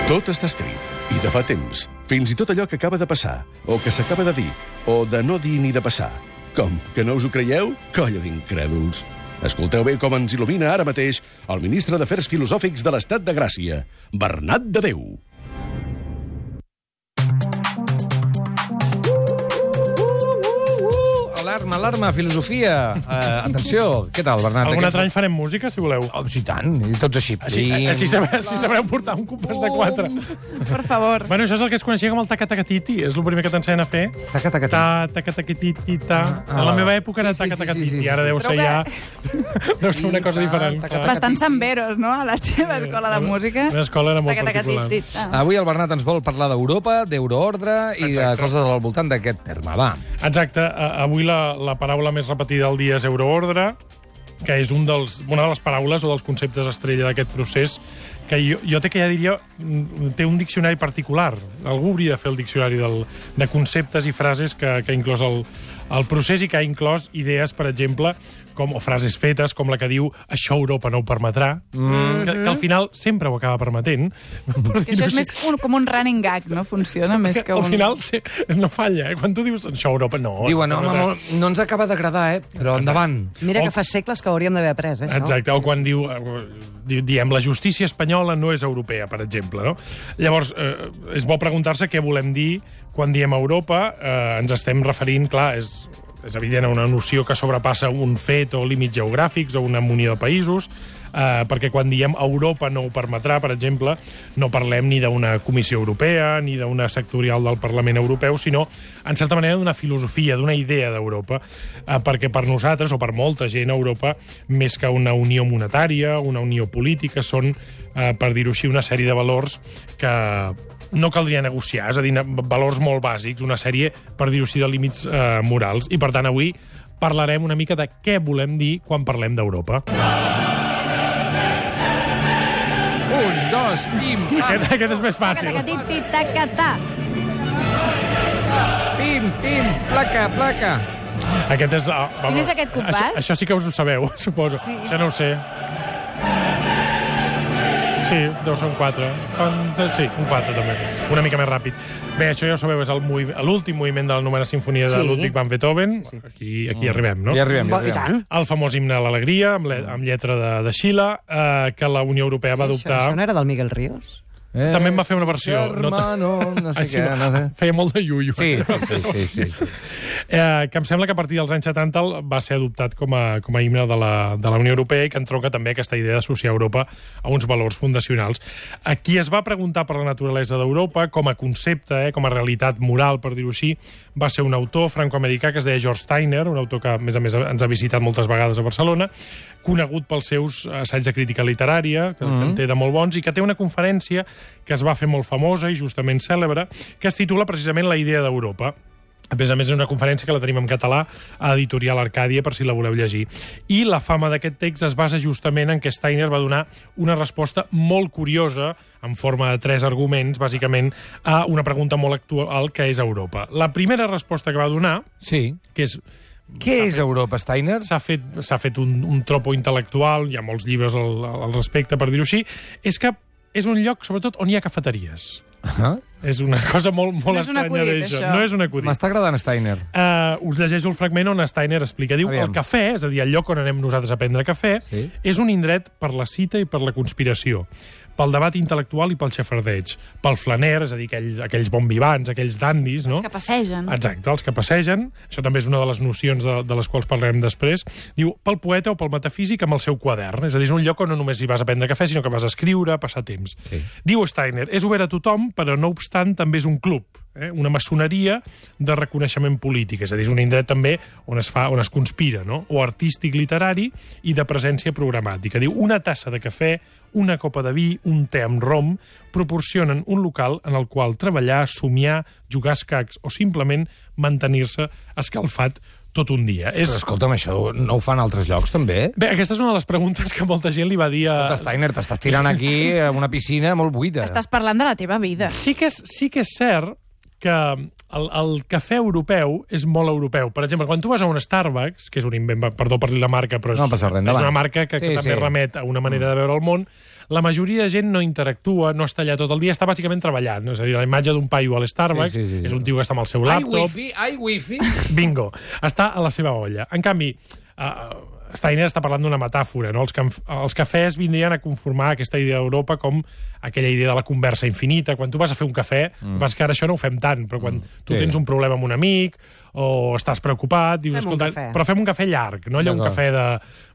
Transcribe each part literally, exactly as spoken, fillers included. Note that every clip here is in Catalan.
Tot està escrit, i de fa temps. Fins i tot allò que acaba de passar, o que s'acaba de dir, o de no dir ni de passar. Com, que no us ho creieu? Colla d'incrèduls. Escolteu bé com ens il·lumina ara mateix el ministre d'Afers Filosòfics de l'Estat de Gràcia, Bernat de Déu. Alarma, alarma, filosofia. Uh, atenció, què tal, Bernat? Algun altre any farem música, si voleu. Oh, sí, tant, i tots així. Així, així, sabreu, així sabreu portar un compàs de quatre. Per favor. Bueno, això és el que es coneixia com el taca-taca-titi. És el primer que t'ensenyen a fer. Taca-taca-titi. Ta, taca-taca-titi, ta. A la meva època era taca-taca-titi. I ara deu ser ja... Deu ser una cosa diferent. Bastant samberos, no?, a la teva escola de música. La meva escola era molt particular. Avui el Bernat ens vol parlar d'Europa, d'euroordre i de coses al voltant d'aquest terme. Va. Exacte. Avui la, la paraula més repetida del dia és euroordre, que és un dels, una de les paraules o dels conceptes estrella d'aquest procés, que jo, jo té que ja diria, té un diccionari particular. Algú hauria de fer el diccionari del, de conceptes i frases que, que ha inclòs el, el procés i que ha inclòs idees, per exemple, com, o frases fetes, com la que diu això Europa no ho permetrà, mm. que, que al final sempre ho acaba permetent. Que això és més un, com un running gag, no? Funciona més que un... Al final sí, no falla, eh? Quan tu dius això Europa no... Diuen, no, no, no, no ens acaba d'agradar, eh? Però endavant. Mira o... que fa segles que hauríem d'haver après, eh, això. Exacte, o quan diu, diem, la justícia espanyola no és europea, per exemple, no? Llavors, eh, és bo preguntar-se què volem dir quan diem Europa. Eh, ens estem referint, clar, és... és evident, una noció que sobrepassa un fet o límits geogràfics o una munió de països, eh, perquè quan diem Europa no ho permetrà, per exemple, no parlem ni d'una Comissió Europea ni d'una sectorial del Parlament Europeu, sinó, en certa manera, d'una filosofia, d'una idea d'Europa, eh, perquè per nosaltres, o per molta gent, Europa, més que una unió monetària, una unió política, són, eh, per dir-ho així, una sèrie de valors que no caldria negociar, és a dir, valors molt bàsics, una sèrie, per dir-ho així, de límits eh, morals. I, per tant, avui parlarem una mica de què volem dir quan parlem d'Europa. Un, dos, pim, pam. Aquest, aquest és més fàcil. Taca-taca-tita-taca-ta. Pim, pim, placa, placa. Aquest és... Uh, Quin és aquest compàs? Això, això sí que us ho sabeu, suposo. Sí. Això no ho sé. Sí, deu ser un quatre. Sí, un quatre, també. Una mica més ràpid. Bé, això ja ho sabeu, és l'últim moviment de la novena sinfonia de sí. Ludwig van Beethoven. Sí, sí. Aquí, aquí arribem, no? Ja arribem, ja arribem. El famós himne a l'alegria, amb, amb lletra de, de Schiller, eh, que la Unió Europea va adoptar... Això, això no era del Miguel Ríos? Eh, també en va fer una versió. Hermano, no, no sé què, no sé. Feia molt de iuio. Sí, sí, sí. sí, sí, sí. Eh, que em sembla que a partir dels anys setanta va ser adoptat com a, com a himne de la, de la Unió Europea i que entronca també aquesta idea d'associar Europa a uns valors fundacionals. A qui es va preguntar per la naturalesa d'Europa com a concepte, eh, com a realitat moral, per dir-ho així, va ser un autor franco-americà que es deia George Steiner, un autor que, a més a més, ens ha visitat moltes vegades a Barcelona, conegut pels seus assaigs de crítica literària, que, mm-hmm. que en té de molt bons, i que té una conferència que es va fer molt famosa i justament cèlebre, que es titula precisament La idea d'Europa. A més a més, és una conferència que la tenim en català a Editorial Arcàdia, per si la voleu llegir. I la fama d'aquest text es basa justament en que Steiner va donar una resposta molt curiosa, en forma de tres arguments, bàsicament, a una pregunta molt actual, que és Europa. La primera resposta que va donar, sí. que és... Què és Europa, Steiner? S'ha fet, s'ha fet un, un tropo intel·lectual, hi ha molts llibres al, al respecte, per dir-ho així, és que és un lloc, sobretot, on hi ha cafeteries. Uh-huh. És una cosa molt, molt no estranya d'això. No és un acudit. M'està agradant Steiner. Uh, us llegeixo el fragment on Steiner explica. Diu, Aviam. El cafè, és a dir, el lloc on anem nosaltres a prendre cafè, sí. és un indret per la cita i per la conspiració, pel debat intel·lectual i pel xafardeig, pel flaner, és a dir, aquells, aquells bonvivants, aquells dandis, no? Els que passegen. Exacte, els que passegen. Això també és una de les nocions de, de les quals parlarem després. Diu, pel poeta o pel metafísic amb el seu quadern. És a dir, és un lloc on no només hi vas a prendre cafè, sinó que vas a escriure, a passar temps. Sí. Diu Steiner, és obert a tothom, però no obstant també és un club. Eh? Una maçoneria de reconeixement polític, és a dir, és un indret també on es fa, on es conspira, no? O artístic literari i de presència programàtica. Diu, una tassa de cafè, una copa de vi, un te amb rom, proporcionen un local en el qual treballar, somiar, jugar a escacs o simplement mantenir-se escalfat tot un dia. Però és... escolta'm, això no ho fan altres llocs, també? Bé, aquesta és una de les preguntes que molta gent li va dir a... Escolta, Steiner, t'estàs tirant aquí a una piscina molt buida. Estàs parlant de la teva vida. Sí que és, sí que és cert que el, el cafè europeu és molt europeu. Per exemple, quan tu vas a un Starbucks, que és un invent, perdó per dir la marca, però és, no passa res, és una marca que, sí, que també sí. remet a una manera de veure el món, la majoria de gent no interactua, no està allà tot el dia, està bàsicament treballant. És a dir, la imatge d'un paio a l'Starbucks sí, sí, sí. és un tio que està amb el seu laptop. Ai, wifi, ai, wifi. Bingo. Està a la seva olla. En canvi, uh, Steiner està parlant d'una metàfora, no? Els, els cafès vindrien a conformar aquesta idea d'Europa com aquella idea de la conversa infinita. Quan tu vas a fer un cafè, mm. vas que ara això no ho fem tant, però quan mm. tu sí. tens un problema amb un amic o estàs preocupat, dius, fem escolta, però fem un cafè llarg, no allò un cafè de,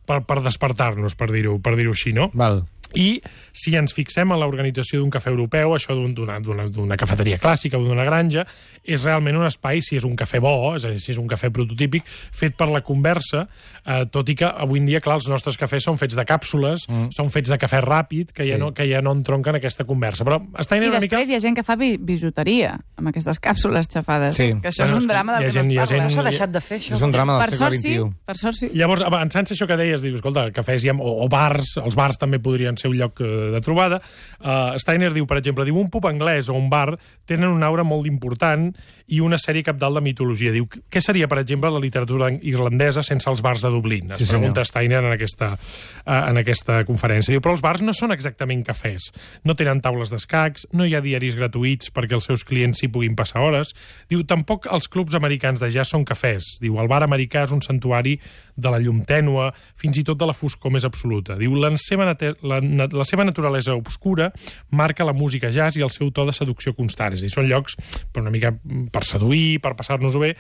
per, per despertar-nos, per dir-ho per dir-ho així, no? Val. I si ens fixem en l'organització d'un cafè europeu, això d'una cafeteria clàssica o d'una granja, és realment un espai, si és un cafè bo, és a dir, si és un cafè prototípic, fet per la conversa, eh, tot i que avui en dia, clar, els nostres cafès són fets de càpsules, mm. són fets de cafè ràpid, que, sí. ja no, que ja no entronquen aquesta conversa. Però està I una després mica... hi ha gent que fa bi bijuteria amb aquestes càpsules xafades. Sí. Que això bueno, és un drama del que gent, no es parla. No s'ha deixat de fer, això. És un drama del per segle sort, vint-i-u. Sí, per sort, sí. Llavors, avançant això que deies, dius, escolta, cafès hi ha, o, o bars, els bars també podrien ser un lloc de trobada. Uh, Steiner diu, per exemple, diu, un pub anglès o un bar tenen una aura molt important i una sèrie capdalt de mitologia. Diu, què seria, per exemple, la literatura irlandesa sense els bars de Dublín? Es sí, pregunta senyor. Steiner en aquesta, uh, en aquesta conferència. Diu, però els bars no són exactament cafès. No tenen taules d'escacs, no hi ha diaris gratuïts perquè els seus clients s'hi puguin passar hores. Diu, tampoc els clubs americans de jazz són cafès. Diu, el bar americà és un santuari de la llum tènua, fins i tot de la foscor més absoluta. Diu, la seva, la, la seva naturalesa obscura marca la música jazz i el seu to de seducció constant. És a dir, són llocs per una mica per seduir, per passar-nos-ho bé.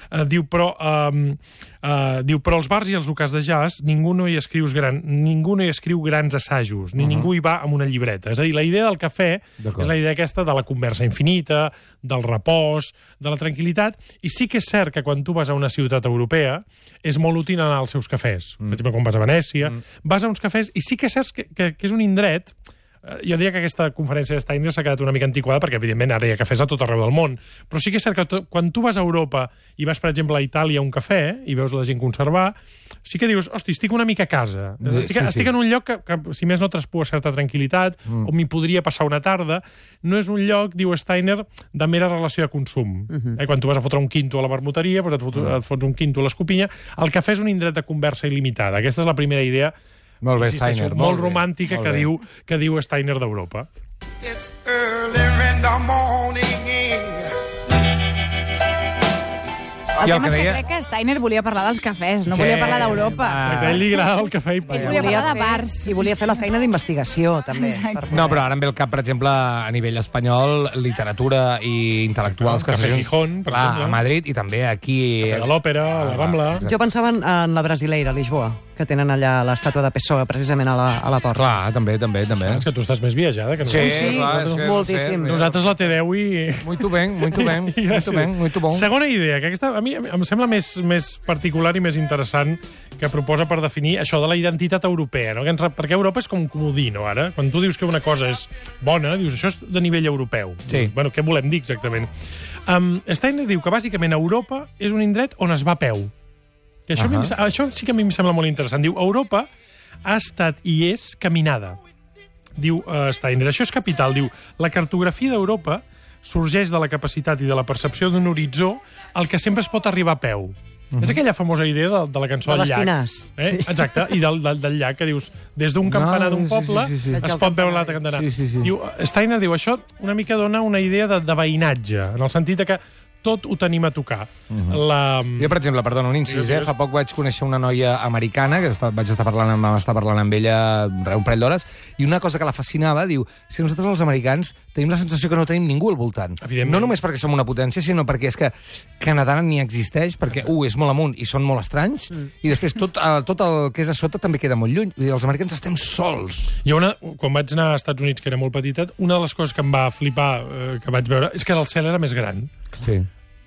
Uh, diu, però, um, uh, diu, però els bars i els locals de jazz ningú no hi escriu, gran, ningú no hi escriu grans assajos, ni uh -huh. ningú hi va amb una llibreta. És a dir, la idea del cafè és la idea aquesta de la conversa infinita, del repòs, de la tranquil·litat, i sí que és cert que quan tu vas a una ciutat europea és molt útil anar als seus cafès. Mm. Per exemple, quan vas a Venècia, mm. vas a uns cafès, i sí que és cert que, que, que és un indret. Jo diria que aquesta conferència de Steiner s'ha quedat una mica antiquada perquè, evidentment, ara hi ha cafès a tot arreu del món. Però sí que és cert que to, quan tu vas a Europa i vas, per exemple, a Itàlia a un cafè i veus la gent conservar, sí que dius, hosti, estic una mica a casa. Estic, sí, sí. estic en un lloc que, que, si més no, traspua certa tranquil·litat, mm. on m'hi podria passar una tarda. No és un lloc, diu Steiner, de mera relació de consum. Mm -hmm. eh, quan tu vas a fotre un quinto a la vermuteria, doncs et, fot, mm. et fots un quinto a l'escopinya. El cafè és un indret de conversa il·limitada. Aquesta és la primera idea molt bé, Steiner, molt, molt romàntica molt que, diu, que diu Steiner d'Europa. It's early in the morning. El tema és que crec que Steiner volia parlar dels cafès, no sí, volia parlar d'Europa. Exacte, a ell li agrada el cafè i ell volia parlar de bars. I volia fer la feina d'investigació, també. No, però ara em ve el cap, per exemple, a nivell espanyol, literatura i intel·lectuals que Cafè Gijón, per clar, exemple. A Madrid i també aquí... Cafè de l'Òpera, a la Rambla... Jo pensava en la Brasileira, a Lisboa, que tenen allà l'estàtua de Pessoa, precisament a la, a la porta. Clar, també, també, també. És que tu estàs més viatjada que nosaltres. Sí, sí clar, és moltíssim. No sé, nosaltres la T deu i... Muito ben, muito ben, muito ben, muito bon. Segona idea, que aquesta a mi em sembla més, més particular i més interessant, que proposa per definir això de la identitat europea, no? Perquè Europa és com un comodí, no, ara? Quan tu dius que una cosa és bona, dius, això és de nivell europeu. Sí. Bueno, què volem dir exactament? Um, Steiner diu que bàsicament Europa és un indret on es va a peu. I això, uh -huh. això sí que a mi em sembla molt interessant. Diu, Europa ha estat i és caminada. Diu uh, Steiner, això és capital. Diu, la cartografia d'Europa sorgeix de la capacitat i de la percepció d'un horitzó al que sempre es pot arribar a peu. Uh -huh. És aquella famosa idea de, de la cançó de del llac. l'Espinàs. Eh? Sí. Exacte, i del, del, del llac, que dius, des d'un campanar d'un poble sí, sí, sí, sí. es pot veure l'altre campanar. Sí, sí, sí. Diu, Steiner diu, això una mica dona una idea de, de veïnatge, en el sentit de que tot ho tenim a tocar. Uh -huh. la... Jo, per exemple, perdona, un incís, eh? Fa poc vaig conèixer una noia americana, que està, vaig estar parlant, amb, estar parlant amb ella un parell d'hores, i una cosa que la fascinava, diu, si nosaltres els americans tenim la sensació que no tenim ningú al voltant. No només perquè som una potència, sinó perquè és que Canadà ni existeix, perquè, u, uh, és molt amunt i són molt estranys, mm. i després tot, uh, tot el que és a sota també queda molt lluny. Vull dir, els americans estem sols. Hi ha una, quan vaig anar als Estats Units, que era molt petitet, una de les coses que em va flipar, eh, que vaig veure, és que el cel era més gran. Sí.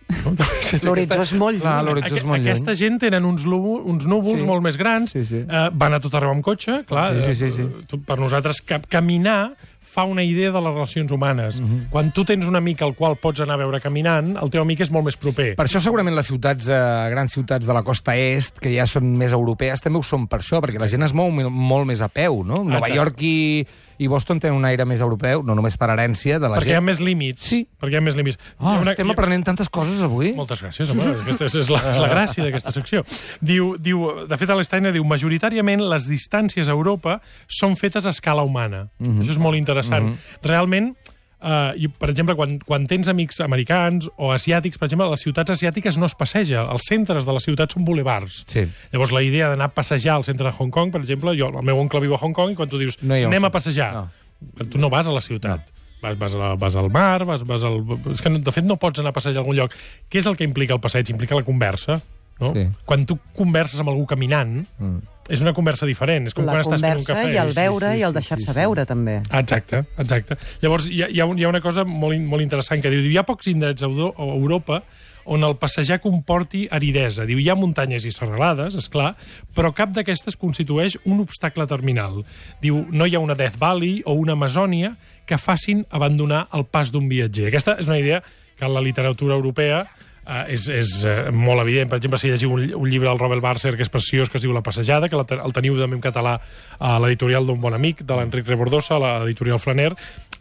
L'horitzó és molt lluny. L'horitzó és molt lluny. Aquesta gent tenen uns, lúvol, uns núvols sí. molt més grans, sí, sí. Eh, van a tot arreu amb cotxe, clar. Sí, sí, sí, sí. Eh, per nosaltres, ca caminar fa una idea de les relacions humanes. Uh -huh. Quan tu tens un amic al qual pots anar a veure caminant, el teu amic és molt més proper. Per això segurament les ciutats, eh, grans ciutats de la costa est, que ja són més europees, també ho són per això, perquè la gent es mou molt més a peu, no? Nova York i, i Boston té un aire més europeu, no només per herència de la Perquè hi ha gent. més límits. Sí. Perquè hi ha més límits. Oh, Hi ha una- estem hi ha- aprenent tantes coses avui. Moltes gràcies, home. Aquesta és, és, la, és la gràcia d'aquesta secció. Diu, diu, de fet, a l'Steiner diu, majoritàriament les distàncies a Europa són fetes a escala humana. Mm-hmm. Això és molt interessant. Mm-hmm. Realment, Uh, i, per exemple, quan, quan tens amics americans o asiàtics, per exemple, a les ciutats asiàtiques no es passeja. Els centres de les ciutats són bulevards. Sí. Llavors, la idea d'anar a passejar al centre de Hong Kong, per exemple, jo, el meu oncle viu a Hong Kong, i quan tu dius, No hi ha un anem a centre. passejar, No. tu no vas a la ciutat. Vas, vas, a la, vas al mar, vas, vas al... És que, de fet, no pots anar a passejar a algun lloc. Què és el que implica el passeig? Implica la conversa. No? Sí. Quan tu converses amb algú caminant, mm. és una conversa diferent. És com La quan estàs fent un conversa cafè. i el Sí, veure sí, sí, i el sí, deixar-se sí, sí. veure, també. Exacte, exacte. Llavors, hi ha, hi ha, un, hi ha una cosa molt, in- molt interessant que diu, hi ha pocs indrets a Euro- a Europa on el passejar comporti aridesa. Diu, hi ha muntanyes i serralades, és clar, però cap d'aquestes constitueix un obstacle terminal. Diu, no hi ha una Death Valley o una Amazònia que facin abandonar el pas d'un viatger. Aquesta és una idea que en la literatura europea Uh, és, és uh, molt evident. Per exemple, si llegiu un, un llibre del Robert Barser, que és preciós, que es diu La passejada, que la, el teniu també en català a l'editorial d'un bon amic, de l'Enric Rebordosa, a l'editorial Flaner.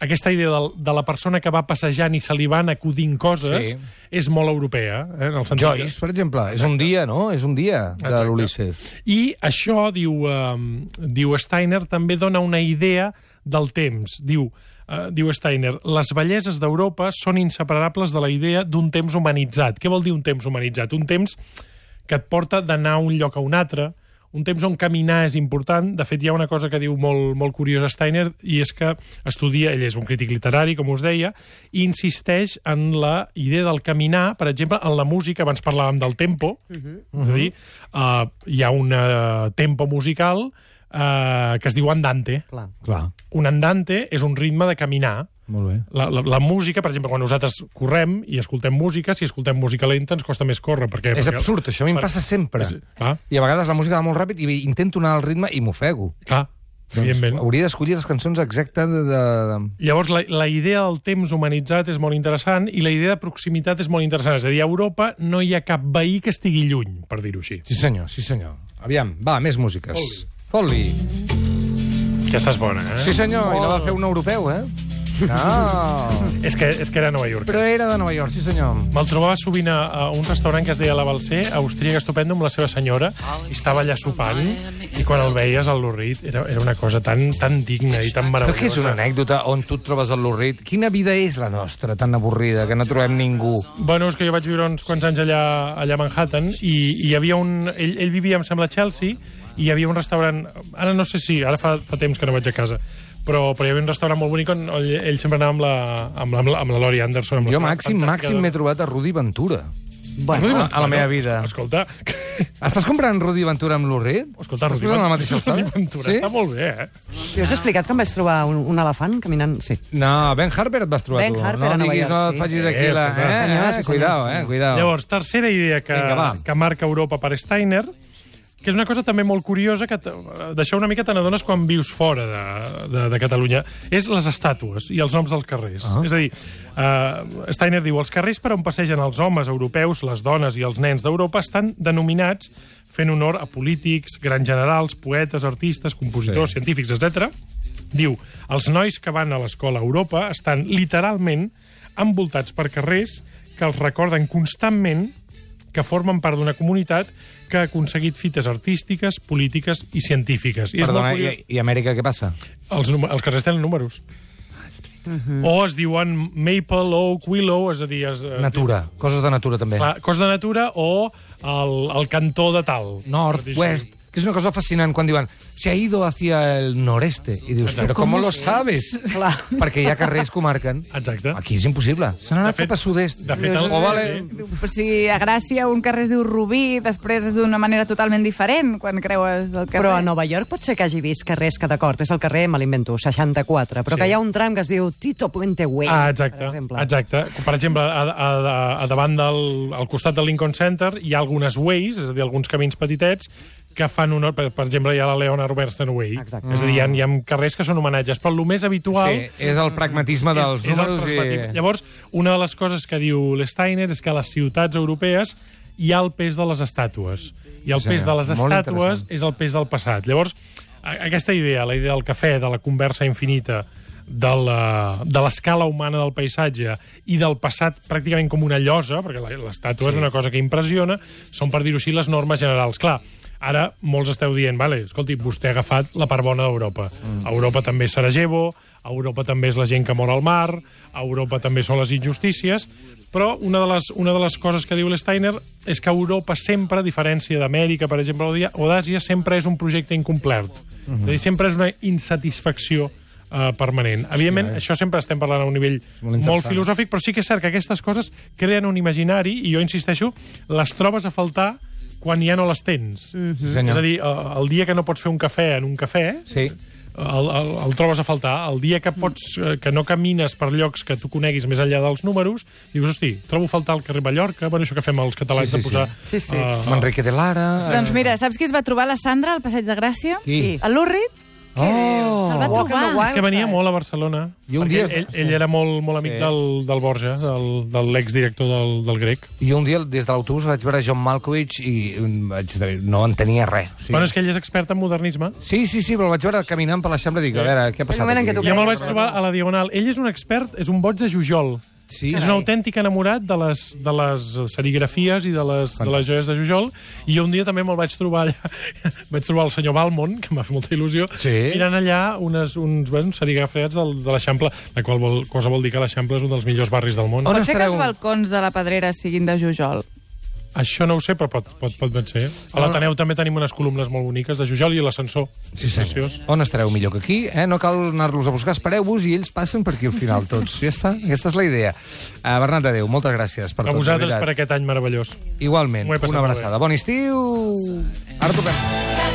Aquesta idea del, de la persona que va passejant i se li van acudint coses Sí. és molt europea. Eh, en el sentit Joyce, per exemple, és un dia, no? És un dia de Exacte. l'Ulisses. I això, diu, um, diu Steiner, també dona una idea del temps. Diu, uh, diu Steiner, les belleses d'Europa són inseparables de la idea d'un temps humanitzat. Què vol dir un temps humanitzat? Un temps que et porta d'anar a un lloc a un altre, un temps on caminar és important. De fet, hi ha una cosa que diu molt, molt curiosa Steiner, i és que estudia, ell és un crític literari, com us deia, i insisteix en la idea del caminar, per exemple, en la música, abans parlàvem del tempo, uh-huh. és a dir, uh, hi ha un uh, tempo musical uh, que es diu andante. Clar. Clar, Un andante és un ritme de caminar. molt bé. La, la, la música, per exemple, quan nosaltres correm i escoltem música, si escoltem música lenta ens costa més córrer. Perquè, És perquè, absurd, això a mi em per- passa sempre. És, clar, I a vegades la música va molt ràpid i intento anar al ritme i m'ofego. clar, evidentment. Hauria d'escollir les cançons exactes de... de, de... Llavors, la, la idea del temps humanitzat és molt interessant i la idea de proximitat és molt interessant. És a dir, a Europa no hi ha cap veí que estigui lluny, per dir-ho així. Sí senyor, sí senyor. Aviam, va, més músiques. Fot-li. Aquesta és bona, eh? Sí senyor, i la va fer un europeu, eh? No. És que, és que era a Nova York. Però era de Nova York, sí senyor. Me'l trobava sovint a, a un restaurant que es deia La Balser, austríac estupendo, amb la seva senyora, i estava allà sopant, i quan el veies al Lurrit era, era una cosa tan, tan digna i tan Però meravellosa. que és una anècdota on tu et trobes al Lurrit? Quina vida és la nostra, tan avorrida, que no trobem ningú? Bueno, és que jo vaig viure uns quants anys allà, allà a Manhattan, i, i hi havia un... Ell, ell vivia, em sembla, a Chelsea, i hi havia un restaurant... Ara no sé si... Ara fa, fa temps que no vaig a casa. Però, però hi havia un restaurant molt bonic on ell, ell sempre anava amb la, amb la, amb la, amb la Laurie Anderson. Amb la Jo seva màxim, fantàstica màxim de- m'he trobat a Rudy Ventura. Bueno, a, a la meva vida. Escolta, Estàs comprant Rudy Ventura amb Lurrit? escolta, Estàs Rudy posant a la Ventura, mateixa Rudy alçada? Ventura està molt bé, eh? jo us he explicat que em vaig trobar un, un elefant caminant... Sí. No, Ben Harper et vas trobar Ben tu. Harper no a Nova diguis, York, no sí. et facis Sí, aquí la... escolta. Eh, Senyor, eh, sí, senyor, cuidao, sí, eh, senyor. cuidao. Llavors, tercera idea que, Vinga, va. que marca Europa per Steiner, que és una cosa també molt curiosa, que t- d'això una mica te n'adones quan vius fora de, de, de Catalunya, és les estàtues i els noms dels carrers. Ah. És a dir, uh, Steiner diu, els carrers per on passegen els homes europeus, les dones i els nens d'Europa estan denominats fent honor a polítics, grans generals, poetes, artistes, compositors, Sí. sí. científics, etcètera. Diu, els nois que van a l'escola a Europa estan literalment envoltats per carrers que els recorden constantment que formen part d'una comunitat que ha aconseguit fites artístiques, polítiques i científiques. I és Perdona, molt i, curiós. i Amèrica què passa? Els, númer- els carrers tenen números. Mhm. O es diuen Maple, Oak, Willow, és a dir... Es, es Natura, coses de natura també. Clar, cos de natura o el, el cantó de tal. Nord, Per dir-ho west, així. que és una cosa fascinant quan diuen se ha ido hacia el noreste. I dius, Exacte. però com lo sabes? Clar. Perquè hi ha carrers que ho marquen. Exacte. Aquí és impossible. Se n'ha De anat fet- cap a sud-est. de fet, el- O vale... sí. O sigui, a Gràcia un carrer es diu Rubí, després és d'una manera totalment diferent quan creues el carrer. Però a Nova York pot ser que hagi vist carrers que, d'acord, és el carrer, me l'invento, seixanta-quatre, però Sí. que hi ha un tram que es diu Tito Puente Way, Ah, per exacte, exemple. exacte. Per exemple, a, a, a, a davant del al costat del Lincoln Center hi ha algunes ways, és a dir, alguns camins petitets, que fan honor... Per, per exemple, hi ha la Leona Robertson Way. Exacte. És a dir, hi ha, hi ha carrers que són homenatges, però el més habitual... Sí, és el pragmatisme dels és, és el números prismàtic. i... Llavors, una de les coses que diu l'Steiner és que a les ciutats europees hi ha el pes de les estàtues. I el Sí, pes de les molt estàtues interessant. és el pes del passat. Llavors, aquesta idea, la idea del cafè, de la conversa infinita, de la- de l'escala humana del paisatge i del passat pràcticament com una llosa, perquè la- l'estàtua és una cosa que impressiona, són, per dir-ho així, les normes generals. Clar, ara molts esteu dient, vale, escolti, vostè ha agafat la part bona d'Europa. A Europa també és Sarajevo, a Europa també és la gent que mor al mar, a Europa també són les injustícies, però una de les, una de les coses que diu l'Steiner és que Europa sempre, a diferència d'Amèrica, per exemple, o d'A- o d'Àsia, sempre és un projecte incomplert. És a dir, sempre és una insatisfacció Uh, permanent. Evidentment, Sí, eh? això sempre estem parlant a un nivell Molt molt, interessant. filosòfic, però sí que és cert que aquestes coses creen un imaginari, i jo insisteixo, les trobes a faltar quan ja no les tens. Sí, senyor. És a dir, uh, el dia que no pots fer un cafè en un cafè, Sí. el, el, el trobes a faltar. El dia que pots eh, que no camines per llocs que tu coneguis més enllà dels números, dius, hosti, trobo a faltar el carrer Mallorca, bueno, això que fem els catalans Sí, sí, de posar... sí. Sí, sí. eh, Manrique de Lara... eh, Doncs mira, saps qui es va trobar la Sandra al Passeig de Gràcia? Qui? El Lurrit. Oh! Se'l va Walk on the trobar. Wild És que venia Side. molt a Barcelona. I un perquè dia- ell, ell era molt, molt amic Sí. del, del Borja, del, de l'exdirector del, del Grec. I un dia, des de l'autobús, vaig veure John Malkovich i mm, vaig dir, no entenia res. Sí. Bueno, és que ell és expert en modernisme. Sí, sí, sí, però el vaig veure caminant per l'Eixample i dic, a veure, què ha passat moment en aquí? què tu Ja me'l vaig Correcte. trobar a la Diagonal. Ell és un expert, és un boig de Jujol. Sí, És un autèntic enamorat de les, de les serigrafies i de les, de les joies de Jujol, i jo un dia també me'l vaig trobar allà, vaig trobar el senyor Balmont, que m'ha fet molta il·lusió, Sí. mirant allà unes, uns, bueno, uns serigrafiats del, de l'Eixample, la qual vol, cosa vol dir que l'Eixample és un dels millors barris del món. On Pot ser que estareu? els balcons de la Pedrera siguin de Jujol. Això no ho sé, però pot, pot, pot ben ser. A l'Ateneu també tenim unes columnes molt boniques de Jujol i l'ascensor. Sí, Preciós. senyor. On estareu millor que aquí? Eh? No cal anar-los a buscar, espereu-vos i ells passen per aquí al final tots. Ja està, aquesta és la idea. Uh, Bernat de Déu, moltes gràcies per A tot. de vosaltres veritat. per aquest any meravellós. Igualment, M'ho he passat una molt bé. abraçada. Bon estiu! Ara tornem.